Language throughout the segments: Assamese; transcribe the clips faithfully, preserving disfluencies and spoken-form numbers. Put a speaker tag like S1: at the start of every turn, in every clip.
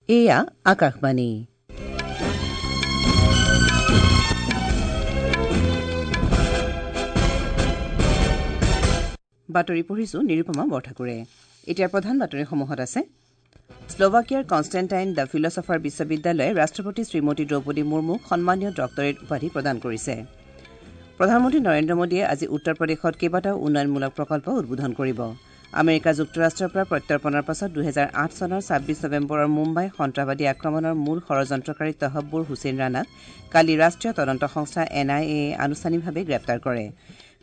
S1: এয়া আকাশবাণী। বাতৰি পঢ়িছো নিৰুপমা বৰঠাকুৰে। এতিয়া প্ৰধান বাতৰিসমূহত আছে শ্লোভাকিয়াৰ কনষ্টেণ্টাইন the philosopher বিশ্ববিদ্যালয়ে ৰাষ্ট্ৰপতি শ্ৰীমতী দ্ৰৌপদী মুৰ্মুক সন্মানীয় ডক্টৰেট উপাধি প্ৰদান কৰিছে। প্ৰধানমন্ত্ৰী নৰেন্দ্ৰ মোদীয়ে আজি উত্তৰ প্ৰদেশত কেইবাটাও উন্নয়নমূলক প্ৰকল্প উদ্বোধন কৰিব। আমেৰিকা যুক্তৰাষ্ট্ৰৰ পৰা প্ৰত্যৰ্পণৰ পাছত দুহেজাৰ আঠ চনৰ ছাব্বিছ নৱেম্বৰৰ মুম্বাই সন্ত্ৰাসবাদী আক্ৰমণৰ মূল ষড়যন্ত্ৰকাৰী তহব্বুৰ হুছেইন ৰাণাক কালি ৰাষ্ট্ৰীয় তদন্ত সংস্থা এন আই এয়ে আনুষ্ঠানিকভাৱে গ্ৰেপ্তাৰ কৰে।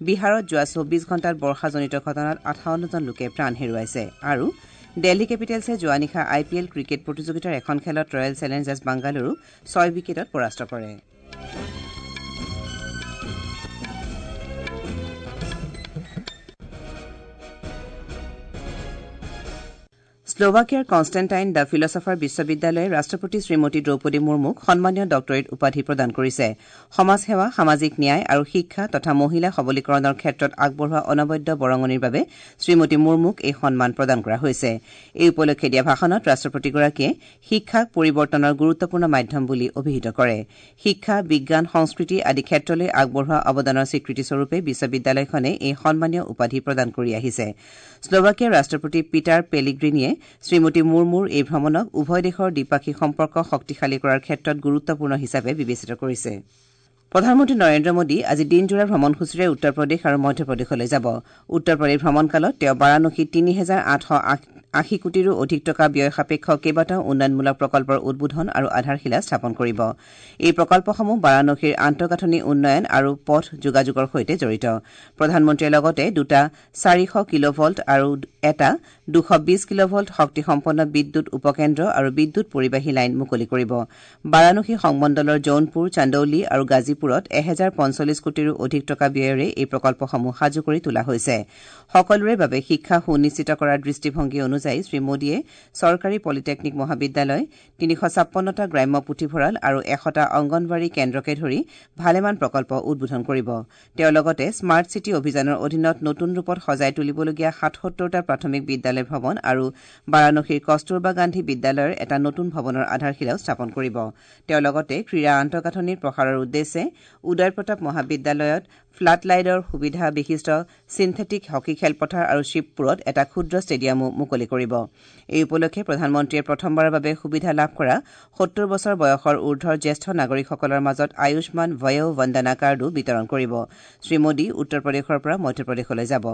S1: বিহাৰত যোৱা চৌবিছ ঘণ্টাত বৰ্ষাজনিত ঘটনাত আঠাৱন্নজন লোকে প্ৰাণ হেৰুৱাইছে। আৰু দিল্লী কেপিটেলছে যোৱা নিশা আই পি এল ক্ৰিকেট প্ৰতিযোগিতাৰ এখন খেলত ৰয়েল চেলেঞ্জাৰ্ছ বাংগালুৰুক ছয় উইকেটত পৰাস্ত কৰে। শ্লোভাকিয়াৰ কনষ্টেণ্টাইন the philosopher বিশ্ববিদ্যালয়ে ৰাষ্ট্ৰপতি শ্ৰীমতী দ্ৰৌপদী মুৰ্মুক সন্মানীয় ডক্টৰেট উপাধি প্ৰদান কৰিছে। সমাজসেৱা, সামাজিক ন্যায় আৰু শিক্ষা তথা মহিলা সবলীকৰণৰ ক্ষেত্ৰত আগবঢ়োৱা অনবদ্য বৰঙণিৰ বাবে শ্ৰীমতী মুৰ্মুক এই সন্মান প্ৰদান কৰা হৈছে। এই উপলক্ষে দিয়া ভাষণত ৰাষ্ট্ৰপতিগৰাকীয়ে শিক্ষাক পৰিৱৰ্তনৰ গুৰুত্বপূৰ্ণ মাধ্যম বুলি অভিহিত কৰে। শিক্ষা, বিজ্ঞান, সংস্কৃতি আদি ক্ষেত্ৰলৈ আগবঢ়োৱা অৱদানৰ স্বীকৃতিস্বৰূপে বিশ্ববিদ্যালয়খনে এই সন্মানীয় উপাধি প্ৰদান কৰি আহিছে। শ্লোভাকিয়াৰ ৰাষ্ট্ৰপতি পিটাৰ পেলিগ্ৰিনিয়ে শ্ৰীমতী মুৰ্মুৰ এই ভ্ৰমণক উভয় দেশৰ দ্বিপাক্ষিক সম্পৰ্ক শক্তিশালী কৰাৰ ক্ষেত্ৰত গুৰুত্বপূৰ্ণ হিচাপে বিবেচিত কৰিছে। প্ৰধানমন্ত্ৰী নৰেন্দ্ৰ মোদী আজি দিনজোৰা ভ্ৰমণসূচীৰে উত্তৰ প্ৰদেশ আৰু মধ্যপ্ৰদেশলৈ যাব। উত্তৰ প্ৰদেশ ভ্ৰমণকালত তেওঁ বাৰাণসীত তিনি হেজাৰ আঠশ আশী কোটিৰো অধিক টকা ব্যয় সাপেক্ষ কেইবাটাও উন্নয়নমূলক প্ৰকল্পৰ উদ্বোধন আৰু আধাৰশিলা স্থাপন কৰিব। এই প্ৰকল্পসমূহ বাৰাণসীৰ আন্তঃগাঁথনি উন্নয়ন আৰু পথ যোগাযোগৰ সৈতে জড়িত। প্ৰধানমন্ত্ৰীয়ে লগতে দুটা চাৰিশ কিলোভল্ট আৰু এটা দুশ বিশ কিলোভল্ট শক্তিসম্পন্ন বিদ্যুৎ উপকেন্দ্ৰ আৰু বিদ্যুৎ পৰিবাহী লাইন মুকলি কৰিব। বাৰাণসী সংমণ্ডলৰ জৌনপুৰ, চান্দৌলি আৰু গাজীপুৰত এহেজাৰ পঞ্চল্লিছ কোটিৰো অধিক টকা ব্যয়েৰে এই প্ৰকল্পসমূহ সাজু কৰি তোলা হৈছে। সকলোৰে বাবে শিক্ষা সুনিশ্চিত কৰাৰ দৃষ্টিভংগী অনুযায়ী শ্ৰীমোদীয়ে চৰকাৰী পলিটেকনিক মহাবিদ্যালয়, তিনিশ ছাপন্নটা গ্ৰাম্য পুথিভঁৰাল আৰু এশটা অংগনৱাড়ী কেন্দ্ৰকে ধৰি ভালেমান প্ৰকল্প উদ্বোধন কৰিব। তেওঁ লগতে স্মাৰ্ট চিটি অভিযানৰ অধীনত নতুন ৰূপত সজাই তুলিবলগীয়া সাতসত্তৰটা প্ৰাথমিক বিদ্যালয় ভৱন আৰু বাৰাণসীৰ কস্তুৰবা গান্ধী বিদ্যালয়ৰ এটা নতুন ভৱনৰ আধাৰশিলাও স্থাপন কৰিব। তেওঁ লগতে ক্ৰীড়া আন্তঃগাঁথনিৰ প্ৰসাৰৰ উদ্দেশ্যে উদয় প্ৰতাপ মহাবিদ্যালয়ত ফ্লাড লাইটৰ সুবিধা বিশিষ্ট চিন্থেটিক হকী খেলপথাৰ আৰু শিৱপুৰত এটা ক্ষুদ্ৰ ষ্টেডিয়ামো মুকলি কৰিব। এই উপলক্ষে প্ৰধানমন্ত্ৰীয়ে প্ৰথমবাৰৰ বাবে সুবিধা লাভ কৰা সত্তৰ বছৰ বয়সৰ ঊৰ্ধৰ জ্যেষ্ঠ নাগৰিকসকলৰ মাজত আয়ুষ্মান বয়ো বন্দনা কাৰ্ডো বিতৰণ কৰিব। শ্ৰীমোদী উত্তৰ প্ৰদেশৰ পৰা মধ্যপ্ৰদেশলৈ যাব।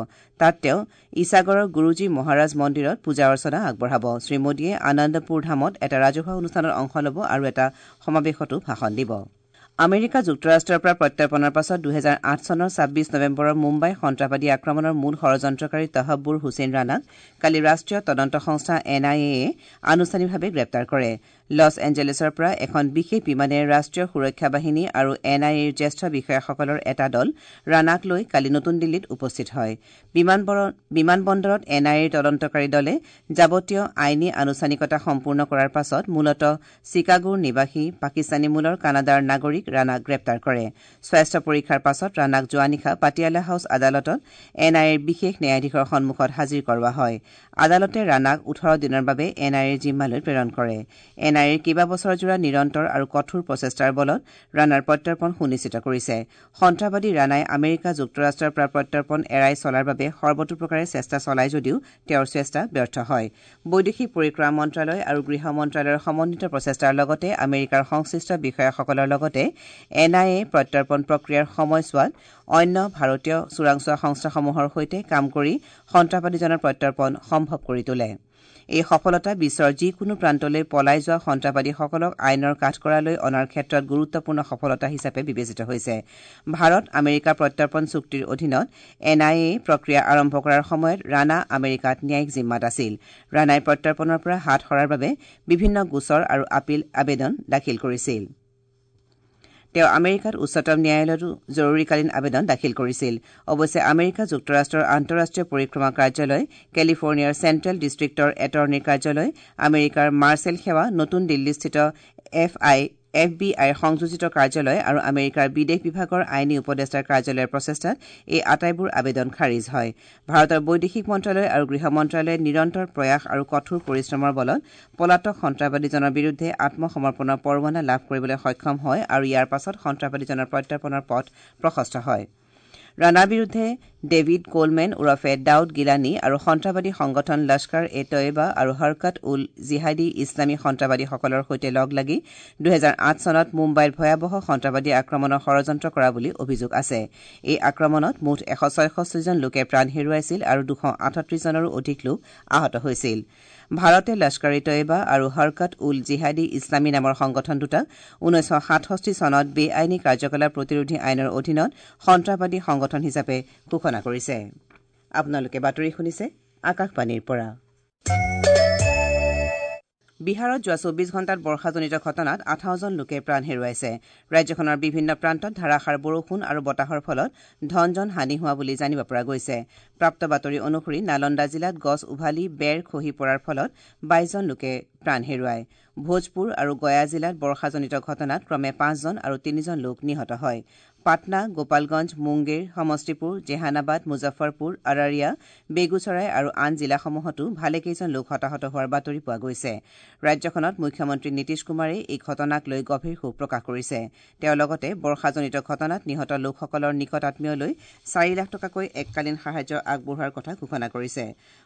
S1: তাত তেওঁ ইছাগৰৰ গুৰুজী মহাৰাজ মন্দিৰত পূজা অৰ্চনা আগবঢ়াব। শ্ৰীমোদীয়ে আনন্দপুৰ ধামত এটা ৰাজহুৱা অনুষ্ঠানত অংশ ল'ব আৰু এটা সমাৱেশতো ভাষণ দিব। আমেৰিকা যুক্তৰাষ্ট্ৰৰ পৰা প্ৰত্যৰ্পণৰ পাছত দুহেজাৰ আঠ চনৰ ছাব্বিছ নৱেম্বৰৰ মুম্বাই সন্ত্ৰাসবাদী আক্ৰমণৰ মূল ষড়যন্ত্ৰকাৰী তহব্বুৰ হুছেইন ৰাণাক কালি ৰাষ্ট্ৰীয় তদন্ত সংস্থা এন আই এয়ে আনুষ্ঠানিকভাৱে গ্ৰেপ্তাৰ কৰে। লছ এঞ্জেলেছৰ পৰা এখন বিশেষ বিমানেৰে ৰাষ্ট্ৰীয় সুৰক্ষা বাহিনী আৰু এন আই এৰ জ্যেষ্ঠ বিষয়াসকলৰ এটা দল ৰাণাক লৈ কালি নতুন দিল্লীত উপস্থিত হয়। বিমানবন্দৰত এন আই এৰ তদন্তকাৰী দলে যাৱতীয় আইনী আনুষ্ঠানিকতা সম্পূৰ্ণ কৰাৰ পাছত মূলতঃ চিকাগোৰ নিবাসী পাকিস্তানী মূলৰ কানাডাৰ নাগৰিক ৰাণাক গ্ৰেপ্তাৰ কৰে। স্বাস্থ্য পৰীক্ষাৰ পাছত ৰাণাক যোৱা নিশা পাটিয়ালা হাউছ আদালতত এন আই এৰ বিশেষ ন্যায়াধীশৰ সন্মুখত হাজিৰ কৰোৱা হয়। আদালতে ৰাণাক ওঠৰ দিনৰ বাবে এন আই এৰ জিম্মালৈ প্ৰেৰণ কৰে। এন আই এৰ কেইবাবছৰজোৰা নিৰন্তৰ আৰু কঠোৰ প্ৰচেষ্টাৰ বলত ৰাণাৰ প্ৰত্যৰ্পণ সুনিশ্চিত কৰিছে। সন্ত্ৰাসবাদী ৰাণাই আমেৰিকা যুক্তৰাষ্ট্ৰৰ পৰা প্ৰত্যৰ্পণ এৰাই চলাৰ বাবে সৰ্বতোপ্ৰকাৰে চেষ্টা চলায় যদিও তেওঁৰ চেষ্টা ব্যৰ্থ হয়। বৈদেশিক পৰিক্ৰমা মন্ত্ৰালয় আৰু গৃহ মন্ত্ৰালয়ৰ সমন্বিত প্ৰচেষ্টাৰ লগতে আমেৰিকাৰ সংশ্লিষ্ট বিষয়াসকলৰ লগতে এন I A প্ৰত্যৰ্পণ প্ৰক্ৰিয়াৰ সময়ছোৱাত অন্য ভাৰতীয় চোৰাংচোৱা সংস্থাসমূহৰ সৈতে কাম কৰি সন্ত্ৰাসবাদীজনৰ প্ৰত্যৰ্পণ সম্ভৱ কৰি তোলে। এই সফলতা বিশ্বৰ যিকোনো প্ৰান্তলৈ পলাই যোৱা সন্ত্ৰাসবাদীসকলক আইনৰ কাঠগড়ালৈ অনাৰ ক্ষেত্ৰত গুৰুত্বপূৰ্ণ সফলতা হিচাপে বিবেচিত হৈছে। ভাৰত আমেৰিকা প্ৰত্যৰ্পণ চুক্তিৰ অধীনত এন আই এ প্ৰক্ৰিয়া আৰম্ভ কৰাৰ সময়ত ৰাণা আমেৰিকাত ন্যায়িক জিম্মাত আছিল। ৰাণাই প্ৰত্যৰ্পণৰ পৰা হাত সৰাৰ বাবে বিভিন্ন গোচৰ আৰু আপীল আবেদন দাখিল কৰিছিল। তেওঁ আমেৰিকাত উচ্চতম ন্যায়ালয়তো জৰুৰীকালীন আবেদন দাখিল কৰিছিল। অৱশ্যে আমেৰিকা যুক্তৰাষ্ট্ৰৰ আন্তঃৰাষ্ট্ৰীয় পৰিক্ৰমা কাৰ্যালয়, কেলিফৰ্ণিয়াৰ চেণ্ট্ৰেল ডিষ্ট্ৰিক্টৰ এটৰ্ণীৰ কাৰ্যালয়, আমেৰিকাৰ মাৰ্চেল সেৱা, নতুন দিল্লীস্থিত এফ আই এফ বি আইৰ সংযোজিত কাৰ্যালয় আৰু আমেৰিকাৰ বিদেশ বিভাগৰ আইনী উপদেষ্টাৰ কাৰ্যালয়ৰ প্ৰচেষ্টাত এই আটাইবোৰ আবেদন খাৰিজ হয়। ভাৰতৰ বৈদেশিক মন্ত্ৰালয় আৰু গৃহ মন্ত্ৰালয়ে নিৰন্তৰ প্ৰয়াস আৰু কঠোৰ পৰিশ্ৰমৰ বলত পলাতক সন্ত্ৰাসবাদীজনৰ বিৰুদ্ধে আত্মসমৰ্পণৰ পৰোৱানা লাভ কৰিবলৈ সক্ষম হয় আৰু ইয়াৰ পাছত সন্ত্ৰাসবাদীজনৰ প্ৰত্যাৰ্পণৰ পথ প্ৰশস্ত হয়। ৰাণাৰ বিৰুদ্ধে ডেভিড কোলমেন ওৰফে দাউদ গিলানী আৰু সন্ত্ৰাসবাদী সংগঠন লস্কৰ এ তৈয়বা আৰু হৰকত উল জিহাদী ইছলামী সন্ত্ৰাসবাদীসকলৰ সৈতে লগ লাগি দুহেজাৰ আঠ চনত মুম্বাইৰ ভয়াৱহ সন্ত্ৰাসবাদী আক্ৰমণৰ ষড়যন্ত্ৰ কৰা বুলি অভিযোগ আছে। এই আক্ৰমণত মুঠ এশ ছয়ষষ্ঠিজন লোকে প্ৰাণ হেৰুৱাইছিল আৰু দুশ আঠত্ৰিশজনৰো অধিক লোক আহত হৈছিল। ভাৰতে লস্কৰ এ তৈয়বা আৰু হৰকত উল জিহাদী ইছলামী নামৰ সংগঠন দুটাক ঊনৈছশ সাতষষ্ঠি চনত বেআইনী কাৰ্যকলাপ প্ৰতিৰোধী আইনৰ অধীনত সন্ত্ৰাসবাদী সংগঠন হিচাপে ঘোষণা কৰিছে। আপোনালোকে বাতৰি শুনিছে আকাশবাণীৰ পৰা। বিহাৰত যোৱা চৌবিশ ঘণ্টাত বৰ্ষাজনিত ঘটনাত আঠাৱজন লোকে প্ৰাণ হেৰুৱাইছে। ৰাজ্যখনৰ বিভিন্ন প্ৰান্তত ধাৰাসাৰ বৰষুণ আৰু বতাহৰ ফলত ধন জন হানি হোৱা বুলি জানিব পৰা গৈছে। প্ৰাপ্ত বাতৰি অনুসৰি নালন্দা জিলাত গছ উভালি বেৰ খহি পৰাৰ ফলত বাইশজন লোকে প্ৰাণ হেৰুৱায়। ভোজপুৰ আৰু গয়া জিলাত বৰ্ষাজনিত ঘটনাত ক্ৰমে পাঁচজন আৰু তিনিজন লোক নিহত হয়। পাটনা, গোপালগঞ্জ, মুংগেৰ, সমষ্টিপুৰ, জেহানাবাদ, মুজফ্ফৰপুৰ, আৰাৰিয়া, বেগুচৰাই আৰু আন জিলাসমূহতো ভালেকেইজন লোক হতাহত হোৱাৰ বাতৰি পোৱা গৈছে। ৰাজ্যখনত মুখ্যমন্ত্ৰী নীতিশ কুমাৰে এই ঘটনাক লৈ গভীৰ শোক প্ৰকাশ কৰিছে। তেওঁ লগতে বৰ্ষাজনিত ঘটনাত নিহত লোকসকলৰ নিকট আত্মীয়লৈ চাৰি লাখ টকাকৈ এককালীন সাহায্য আগবঢ়োৱাৰ কথা ঘোষণা কৰিছে।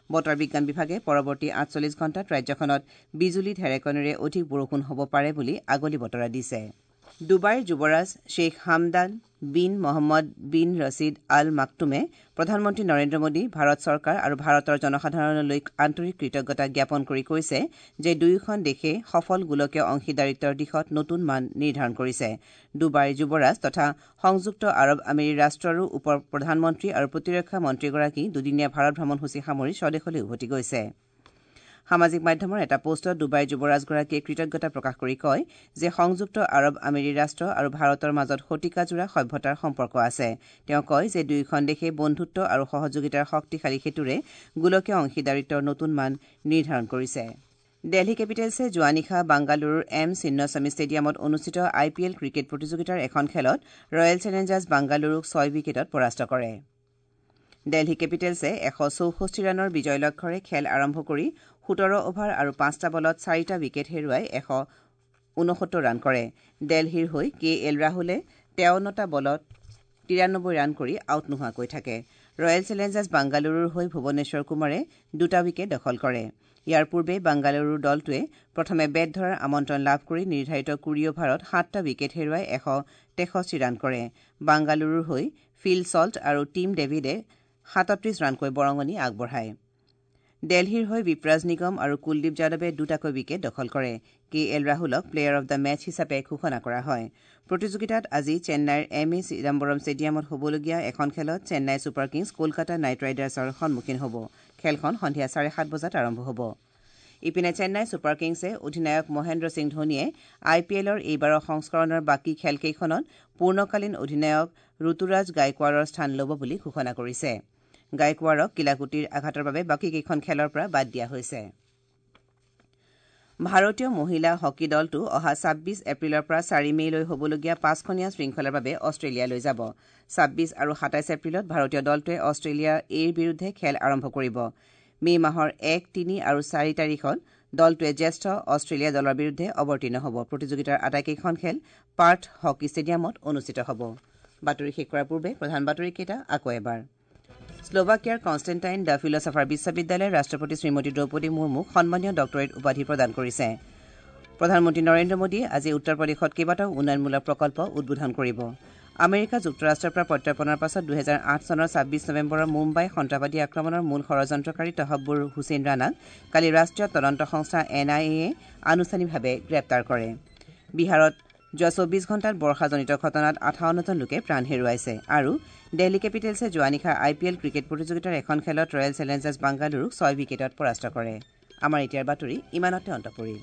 S1: বতৰ বিজ্ঞান বিভাগে পৰৱৰ্তী আঠচল্লিছ ঘণ্টাত ৰাজ্যখনত বিজুলী ঢেৰেকনিৰে অধিক বৰষুণ হ'ব পাৰে বুলি আগলি বতৰা দিছে। ডুবাইৰ যুৱৰাজ Sheikh Hamdan bin Mohammed bin Rashid Al মাকটুমে প্ৰধানমন্ত্ৰী নৰেন্দ্ৰ মোদী, ভাৰত চৰকাৰ আৰু ভাৰতৰ জনসাধাৰণলৈ আন্তৰিক কৃতজ্ঞতা জ্ঞাপন কৰি কৈছে যে দুয়োখন দেশে সফল গোলকীয় অংশীদাৰিত্বৰ দিশত নতুন মান নিৰ্ধাৰণ কৰিছে। ডুবাইৰ যুৱৰাজ তথা সংযুক্ত আৰৱ আমিৰী ৰাষ্ট্ৰৰো উপ প্ৰধানমন্ত্ৰী আৰু প্ৰতিৰক্ষা মন্ত্ৰীগৰাকী দুদিনীয়া ভাৰত ভ্ৰমণসূচী সামৰি স্বদেশলৈ উভতি গৈছে। সামাজিক মাধ্যমৰ এটা পোষ্টত ডুবাইৰ যুৱৰাজগৰাকীয়ে কৃতজ্ঞতা প্ৰকাশ কৰি কয় যে সংযুক্ত আৰৱ আমিৰী ৰাষ্ট্ৰ আৰু ভাৰতৰ মাজত শতিকাজোৰা সভ্যতাৰ সম্পৰ্ক আছে। তেওঁ কয় যে দুয়োখন দেশে বন্ধুত্ব আৰু সহযোগিতাৰ শক্তিশালী সেতুৰে গোলকীয় অংশীদাৰিত্বৰ নতুন মান নিৰ্ধাৰণ কৰিছে। দিল্লী কেপিটেলছে যোৱা নিশা বাংগালুৰুৰ এম চিন্নস্বামী ষ্টেডিয়ামত অনুষ্ঠিত আই পি এল ক্ৰিকেট প্ৰতিযোগিতাৰ এখন খেলত ৰয়েল চেলেঞ্জাৰ্ছ বাংগালুৰুক ছয় উইকেটত পৰাস্ত কৰে। দিল্লী কেপিটেলছে এশ চৌষষ্ঠি ৰানৰ বিজয় লক্ষ্যৰে খেল আৰম্ভ কৰি সোতৰ অভাৰ আৰু পাঁচটা বলত চাৰিটা উইকেট হেৰুৱাই এশ ঊনসত্তৰ ৰান কৰে। দিল্লীৰ হৈ কে এল ৰাহুলে তেৱন্নটা বলত তিৰানব্বৈ ৰান কৰি আউট নোহোৱাকৈ থাকে। ৰয়েল চেলেঞ্জাৰ্ছ বাংগালুৰুৰ হৈ ভুৱনেশ্বৰ কুমাৰে দুটা উইকেট দখল কৰে। ইয়াৰ পূৰ্বে বাংগালুৰুৰ দলটোৱে প্ৰথমে বেট ধৰাৰ আমন্ত্ৰণ লাভ কৰি নিৰ্ধাৰিত কুৰি অভাৰত সাতটা উইকেট হেৰুৱাই এশ তেষষ্ঠি ৰান কৰে। বাংগালুৰুৰ হৈ ফিল ছল্ট আৰু টিম ডেভিডে সাতত্ৰিশ ৰানকৈ বৰঙণি আগবঢ়ায়। দিল্লীৰ হৈ বিপ্ৰাজ নিগম আৰু কুলদীপ যাদৱে দুটাকৈ উইকেট দখল কৰে। কে এল ৰাহুলক প্লেয়াৰ অব the match হিচাপে ঘোষণা কৰা হয়। প্ৰতিযোগিতাত আজি চেন্নাইৰ এম এ চিদাম্বৰম ষ্টেডিয়ামত হ'বলগীয়া এখন খেলত Chennai super kings Kolkata knight ৰাইডাৰ্ছৰ সন্মুখীন হ'ব। খেলখন সন্ধিয়া চাৰে সাত বজাত আৰম্ভ হ'ব। ইপিনে চেন্নাই ছুপাৰ কিংছে অধিনায়ক মহেন্দ্ৰ সিং ধোনীয়ে আই পি এলৰ এইবাৰৰ সংস্কৰণৰ বাকী খেলকেইখনত পূৰ্ণকালীন অধিনায়ক ঋতুৰাজ গাইকোৱাৰৰ স্থান ল'ব বুলি ঘোষণা কৰিছে। গাইকোৱাৰক কিলাকুটিৰ আঘাতৰ বাবে বাকীকেইখন খেলৰ পৰা বাদ দিয়া হৈছে। ভাৰতীয় মহিলা হকী দলটো অহা ছাব্বিছ এপ্ৰিলৰ পৰা চাৰি মে'লৈ হ'বলগীয়া পাঁচখনীয়া শৃংখলাৰ বাবে অষ্ট্ৰেলিয়ালৈ যাব। ছাব্বিছ আৰু সাতাইছ এপ্ৰিলত ভাৰতীয় দলটোৱে অষ্ট্ৰেলিয়া এৰ বিৰুদ্ধে খেল আৰম্ভ কৰিব। মে' মাহৰ এক, তিনি আৰু চাৰি তাৰিখত দলটোৱে জ্যেষ্ঠ অষ্ট্ৰেলিয়া দলৰ বিৰুদ্ধে অৱতীৰ্ণ হ'ব। প্ৰতিযোগিতাৰ আটাইকেইখন খেল পাৰ্থ হকী ষ্টেডিয়ামত অনুষ্ঠিত হ'ব। বাতৰি শেষ কৰাৰ পূৰ্বে প্ৰধান বাতৰিকেইটা আকৌ এবাৰ। শ্লোভাকিয়াৰ কনষ্টেণ্টাইন the philosopher বিশ্ববিদ্যালয়ে ৰাষ্ট্ৰপতি শ্ৰীমতী দ্ৰৌপদী মুৰ্মুক সন্মানীয় ডক্টৰেট উপাধি প্ৰদান কৰিছে। প্ৰধানমন্ত্ৰী নৰেন্দ্ৰ মোদীয়ে আজি উত্তৰ প্ৰদেশত কেইবাটাও উন্নয়নমূলক প্ৰকল্প উদ্বোধন কৰিব। আমেৰিকা যুক্তৰাষ্ট্ৰৰ পৰা প্ৰত্যৰ্পণৰ পাছত দুহেজাৰ আঠ চনৰ ছাব্বিছ নৱেম্বৰৰ মুম্বাই সন্ত্ৰাসবাদী আক্ৰমণৰ মূল ষড়যন্ত্ৰকাৰী তহব্বুৰ হুছেইন ৰাণাক কালি ৰাষ্ট্ৰীয় তদন্ত সংস্থা এন আই এয়ে আনুষ্ঠানিকভাৱে গ্ৰেপ্তাৰ কৰে। বিহাৰত যোৱা চৌবিছ ঘণ্টাত বৰ্ষাজনিত ঘটনাত আঠাৱন্নজন লোকে প্ৰাণ হেৰুৱাইছে। আৰু দিল্লী কেপিটেলছে যোৱা নিশা আই পি এল ক্ৰিকেট প্ৰতিযোগিতাৰ এখন খেলত ৰয়েল চেলেঞ্জাৰ্ছ বাংগালুৰুক ছয় উইকেটত পৰাস্ত কৰে। আমাৰ এতিয়াৰ বাতৰি ইমানতে অন্ত পৰিল।